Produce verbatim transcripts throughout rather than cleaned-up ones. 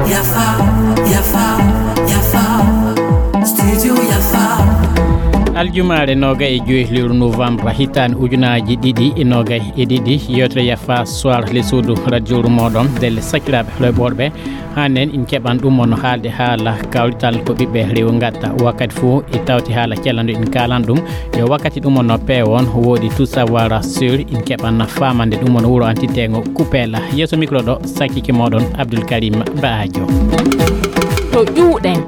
Yafa, yafa, yafa. Studio yafa. Aljumaare noogay e joyi lewru novembre hitaande ujunaaji ɗiɗi e noogay e ɗiɗi, yewtere yafa soir le suudu radio mooɗon ndelle sakiraaɓe heɗotooɓe. Hannen in keɓan ɗum on haalde haala kawrital ko ɓiɓɓe rewu ngatta. Wakkati fof e tawti haala cellando in kaalan ɗum. Yo wakkati ɗum on peewon woodi tout savoir sur in keɓan faamande ɗum on wuro antitengo Kupela. Yeeso micro ɗo sakkike mooɗon Abdoul Karim Baajo. To ƴuuɗen.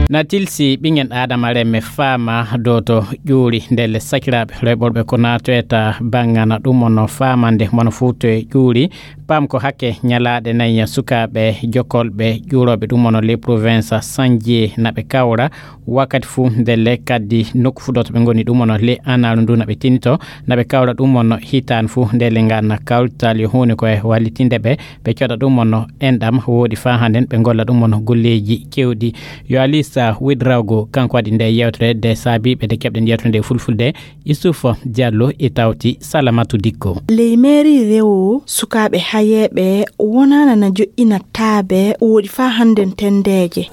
Na tilsi ɓingen Adama remme faama dow to ƴuuri ndelle sakiraaɓe rewɓorɓe ko naatoyta bangana ɗum on faamande mono fuuto e ƴuuri. Pam ko hakke ñalaaɗe nayi sukaaɓe jokkolɓe ƴuurooɓe ɗum on le province sanji naɓe kawra wakkati fof ndelle kadi nokku fof ɗo to ɓe ngoni ɗum on le anaaru ndu naɓe tinito naɓe kawra ɗum on hitaande fof ndelle nganna kawrital yo huunde koye wallitinde ɓe ɓe coɗa ɗum on enɗam woodi faa hannden ɓe ngolla ɗum on golleeji kewɗi. Yo Alisa Widrawgo kanko waɗi nde yewtere de saabi ɓe de keɓɗen yewtere nde fulfulde. Issouf Diallo e tawti Salamatu Dikko. Ley meeri rewo sukaaɓe hayeeɓe wonaana na joƴƴina taabe woodi faa hannden tenndeeje.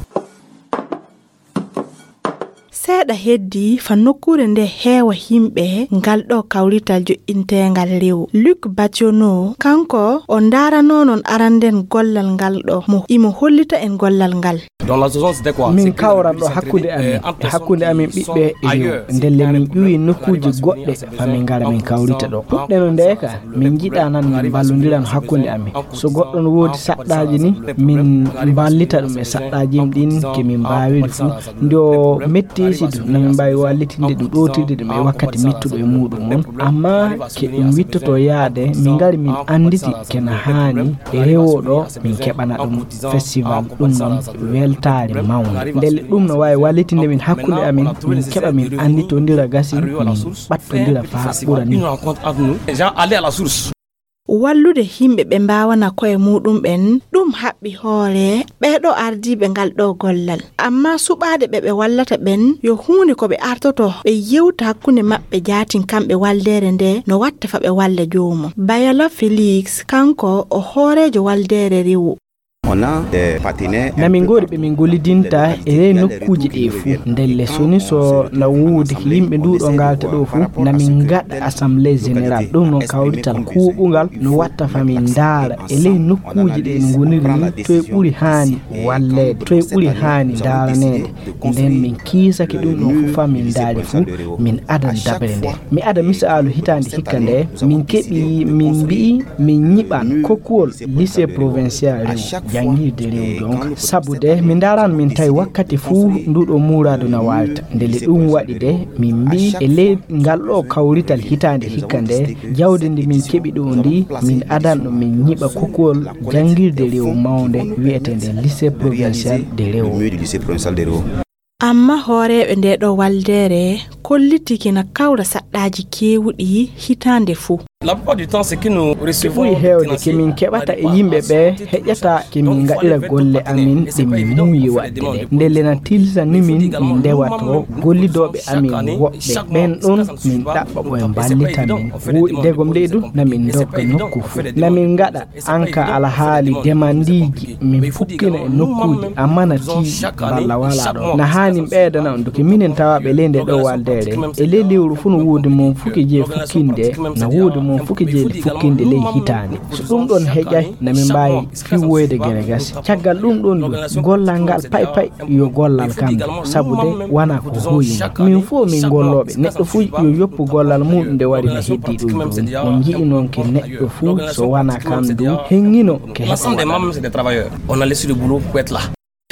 Seeɗa heddii fa nokkuure nde heewa yimɓe ngal ɗo kawrital joƴƴinteengal rewo. Luc Bationo, kanko o ndaaranonon aranden gollal ngal ɗo, mo imo hollita en gollal ngal. Min kawran ɗo hakkunde amin, e hakkunde amin ɓiɓɓe e rewo. Ndelle min ƴuwi nokkuuji goɗɗe fa min ngara min kawrita ɗo. Puɗɗeno nde ka, min njiɗa nan min mballondiran hakkunde amin. So goɗɗo no woodi saɗɗaaji ni, min mballita ɗum e saɗɗaaji ɗin ke min mbaawiri fuu. Nde o metti sidu, na min mbaawi wallitinde ɗum, ɗootirde ɗum e wakkati mettuɗo e muuɗum on. Amma ke ɗum wittoto yaade, min ngari min annditi ke na haani e rewo ɗo, min keɓana ɗum festival, ɗum noon weltaare mawnde. Ndelle ɗum no waawi wallitinde min hakkunde amin, min keɓa min annditondira gasi, min ɓattondira faa ɓura ni. Wallude yimɓe ɓe mbaawana koye muuɗum ɓen, ɗum haɓɓi hoore ɓee ɗo ardiiɓe ngal ɗo gollal. Amma suɓaade ɓe ɓe wallata ɓen, yo huunde ko ɓe artoto, ɓe yewta hakkunde maɓɓe jaatin kamɓe waldeere nde, no watta fa ɓe walla joomum. Bayala Félix, kanko o hooreejo waldeere rewo. Na min ngoodi ɓe min gollidinta e ley nokkuuji ɗi fuu. Ndelle soni so na woodi yimɓe ndu ɗo ngaalta ɗo fuu, na min ngaɗa assemblée générale. Ɗum noon kawrital kuuɓungal no watta fa min ndaara e ley nokkuuji ɗi en ngoniri ni, toye ɓuri haani walleede, toye ɓuri haani ndaaraneede. Nden min kiisake ɗum ɗon fuu fa min ndaari fuu, min adan daɓere nden. Mi ada misaalu hitaande hikka nde, min keɓi, min mbi'i, min nyiɓan kokkuwol lycée provincial rewu, janngirde rewu donc. Sabu de, mi ndaran min tawi wakkati fuu ndu ɗo muuraadu na waalta. Ndelle ɗum waɗi de, min mbi'i e ley ngal ɗo kawrital hitaande hikka nde, jawdi ndi min keɓi ɗo ndi, min adan ɗum min nyiɓa kokkuwol janngirde rewu mawnde wi'eteende lycée provincial de rewu. Amma hooreeɓe nde ɗo waldeere kollitike na kawra saɗɗaaji keewuɗi hitaande fuu. Ke ɓuri heewde ke min keɓata e yimɓe ɓe heƴata ke min ngaɗira golle amin ɗe min muuyi waɗde ɗe. Ndelle na tilsani min min ndewato gollidooɓe amin woɓɓe. Ɓen ɗon min ɗaɓɓa ɓo en mballita min. Woɗi ndegom leydu na min ndogga nokku fuu. Na min ngaɗa an ka alhaali demandiiji min fukkina e nokkuuji, amma na tiiɗi balla walaa ɗo. Na haani ɓeydana on duke minen tawaaɓe ley nde ɗo waldeere. E ley lewru fuu no woodi mon fuki jee fukkinde, na woodi mon fuki jee fukkinde ley hitaande. So ɗum ɗon heƴay, na min mbaawi fiwoyde gere gasi. Caggal ɗum ɗon du, gollal ngal pay pay yo gollal kam, sabu de wana ko hoyni. Min fof min gollooɓe, neɗɗo fuu yo yoppu gollal muuɗum nde wari no heddii ɗum ɗum. On nji'i noon ke neɗɗo fuu so wana kam du, heŋŋino ke heɓa waɗa. On a laissé le boulot pour être là.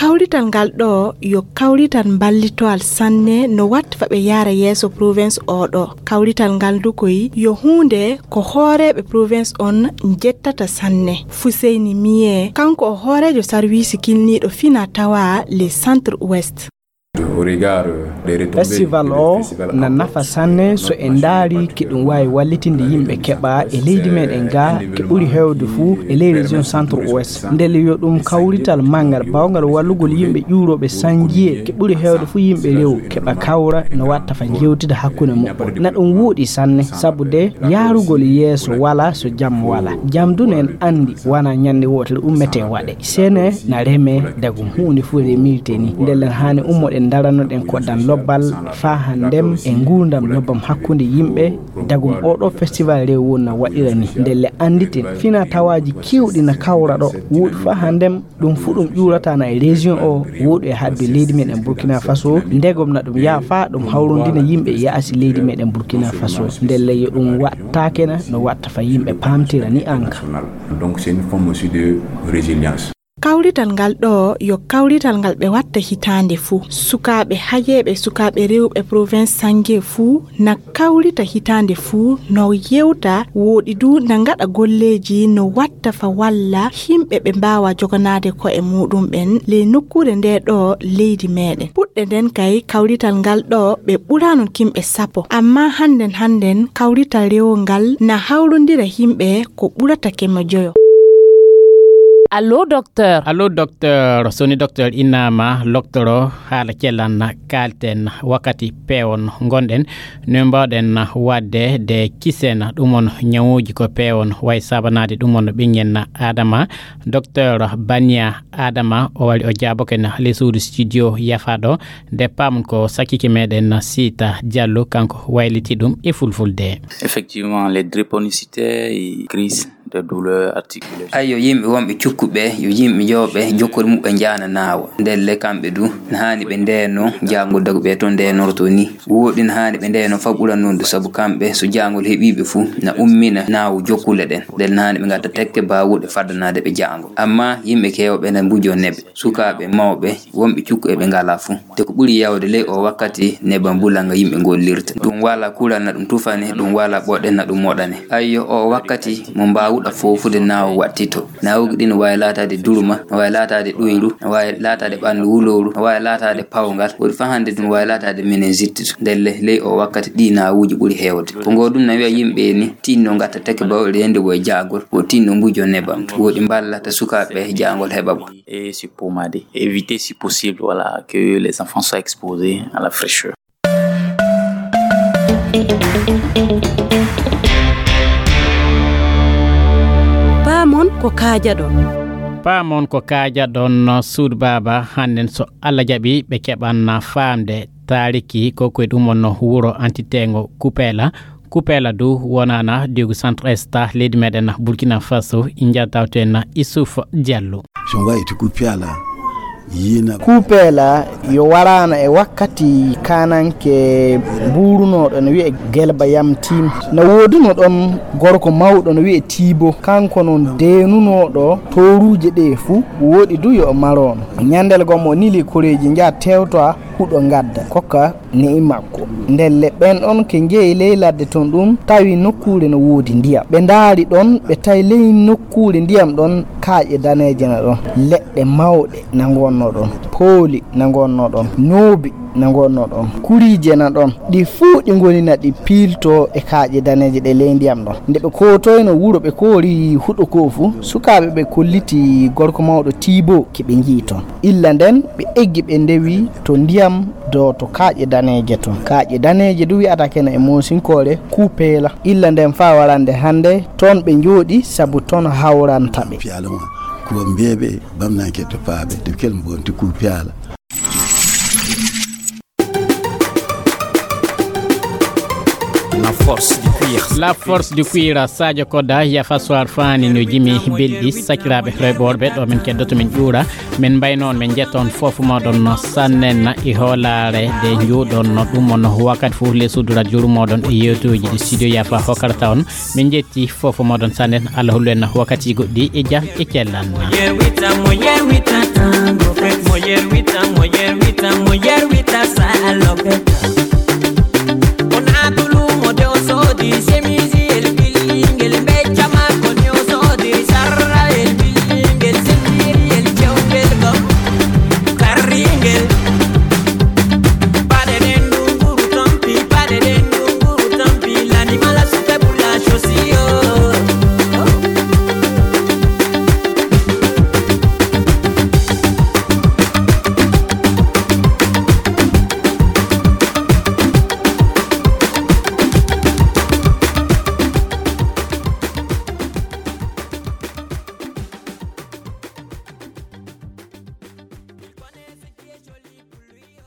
Kawrital ngal ɗo yo kawrital mballitoal sanne no watta fa ɓe yaara yeeso province o ɗo. Kawrital ngal du koy yo huunde ko hooreeɓe province on njettata sanne. Fuseyni Miye, kanko o hooreejo sarwiisi kilniiɗo fina tawa le centre ouest. Festival o na nafa sanne so en ndaari ke ɗum waawi wallitinde yimɓe keɓa e leydi meɗen ga, ke ɓuri heewde fuu e ley région centre ouest. Ndelle yo ɗum kawrital manngal baawngal wallugol yimɓe ƴuurooɓe sanjiye, ke ɓuri heewde fuu yimɓe rewo keɓa kawra no watta fa jewtida hakkunde muɓɓen. Na ɗum wuuɗi sanne, sabu de yaarugol yeeso wala so jam wala. Jam du no en anndi wana ñande wootere ummete waɗe. Sene na reme dagum huunde fuu remilte ni. Ndelle haani ummoɗen daranoɗen koɗdan lobbal faa handem e nguurdam lobbam hakkunde yimɓe. Dagum oɗo festival rew won na waɗira ni. Ndelle annditen fina tawaaji kewɗi na kawra ɗo. Wuuɗi faa handem ɗum fuu ɗum ƴuurata na e région o, wuuɗi e hadde leydi meɗen Burkina Faso. Ndegom na ɗum yaafa ɗum hawrondina yimɓe yaasi leydi meɗen Burkina Faso. Ndelle yo ɗum waɗ taakena no watta fa yimɓe paamtira ni anka. Donc c'est une forme aussi de résilience. Kawrital ngal ɗo yo kawrital ngal ɓe watta hitaande fuu. Sukaaɓe hajeeɓe, sukaaɓe rewɓe province Sange fuu na kawrita hitaande fuu, no yewta, woɗi du na ngaɗa golleeji no watta fa walla himɓe ɓe mbaawa joganaade ko'e muɗum ɓen ley nokkuure nde ɗo leydi meɗen. Puɗɗe nden kay kawrital ngal ɗo ɓe ɓurano kimɓe sappo. Amma hannden hannden kawrital rewo ngal na hawrondira himɓe ko ɓurata keme joyo. Allo, docteur. Allo, docteur. Soni docteur inama loktoro haala cellan kalten wakkati peewon ngonɗen. No mbawɗen waɗde de kisen ɗum on ñawuuji ko peewon way saabanaade ɗum on ɓiŋŋen Adama. Docteur Bania Adama o wari o jaaboken ley suudu studio yafaaɗo. Nde paamun ko sakkike meɗen Siita Diallo kanko wayliti ɗum e fulfulde. Effectivement, les drépanocytaires, ils crient des douleurs articulaires. Ayyo, yimɓe wonɓe cukkuɓe, yo yimɓe jooɓe jokkori muɓɓe njaana naawa. Ndelle kamɓe du, na haani ɓe ndeeno jaangol dagu ɓe to ndeenorto ni. Woɗi na haani ɓe ndeeno fa ɓura non du, sabu kamɓe so jaangol heɓiiɓe fuu, na ummina naawu jokkule ɗen. Ndelle na haani ɓe ngadda tekke baawuɗe faddanaade ɓe jaangol. Amma yimɓe keewɓe na mbujo neɓe. Sukaaɓe, mawɓe, wonɓe cukku e ɓe ngalaa fuu. Te ko ɓuri yawde ley o wakkati neban bulanga yimɓe ngollirta. Ɗum wala kuran na ɗum tufane, ɗum wala ɓoɗe na ɗum moɗane. Ayyo, o wakkati mo mbaawuɗa foofude naawo wattito. Naawugi ɗin no waawi laataade duruma, no waawi laataade ɗoyru, no waawi laataade ɓanndu wulowru, no waawi laataade pawgal. Woɗi fa hannde ɗum waawi laataade meningite. Ndelle ley o wakkati ɗi naawuuji ɓuri heewde. Ko ngo ɗum na wiya yimɓe ni, tinno ngatta teke bawɗe rende wo e jaagol, wo tinno mbujo nebam. Woɗi mballata sukaaɓe jaangol heɓa ɓo. Et se pommader. Éviter si possible, voilà, que les enfants soient exposés à la fraîcheur. Paamon ko kaajaɗon. Paamon ko kaajaɗon, suudu baaba, hannden so Allah jaɓi ɓe keɓan faamde taariki ko koye ɗum on wuro antiteengo Kupeela. Kupeela du wonana diigu centre est leydi meɗen Burkina Faso, inja tawten Issouf Diallo. So wayti Kupeela, yina Kupeela yo warana e wakkati kananke mbuurunooɗo no wi'e Gelba Yamtim. No woodino ɗon gorko mawɗo no wi'e Tiibo. Kanko non deenunooɗo tooruuje ɗe fuu, woɗi du yo o marono. Ñandel gom o nili koreeji nja tewtoa huɗo ngadda. Kokka ne'i makko. Ndelle ɓen ɗon ke njehi ley ladde ton ɗum tawi nokkuure no woodi ndiyam. Ɓe ndaari ɗon, ɓe tawi ley nokkuure ndiyam ɗon kaaƴe daneeje na ɗon, leɗɗe mawɗe na ngonno ɗon, pooli na ngonno ɗon, noobi na ngonno ɗon, kuriije na ɗon. Ɗi fuu ɗi ngoni na ɗi piilto e kaaƴe daneeje ɗe ley ndiyam ɗon. Nde ɓe kootoyno wuro ɓe koori huɗo koo fu, sukaaɓe ɓe kolliti gorko mawɗo Tiibo ke ɓe nji'i ton. Illa nden ɓe eggi ɓe ndewi to ndiyam do to kaaƴe daneeje ton. Kaaƴe daneeje du wi'ata keno e moosinkoore Kupeela. Illa nden faa warande hannde ton ɓe njooɗi sabu ton hawranta ɓe. Piala ma ko mbeɓe bamnanke to paaɓe de kel mbonti Kupeela. La force du cuir. La force du cuir, Sadio Koda, Yafa Soir Fani no jimi belɗi, sakiraaɓe rewɓe worɓe ɗo min keddoto min ƴuura. Min mbayno on, min jetta on fof moɗon no sannen e hoolaare de njuuɗon no ɗum on wakkati fof les suudu radio moɗon e yewtuji ɗi studio Yafa hokkarta on. Min jetti fof moɗon sannen, Allah hollu en wakkati goɗɗi e jam e cellal. Mo yerwita, mo yerwita, tango fest. Mo yerwita, mo yerwita, mo yerwita, salope.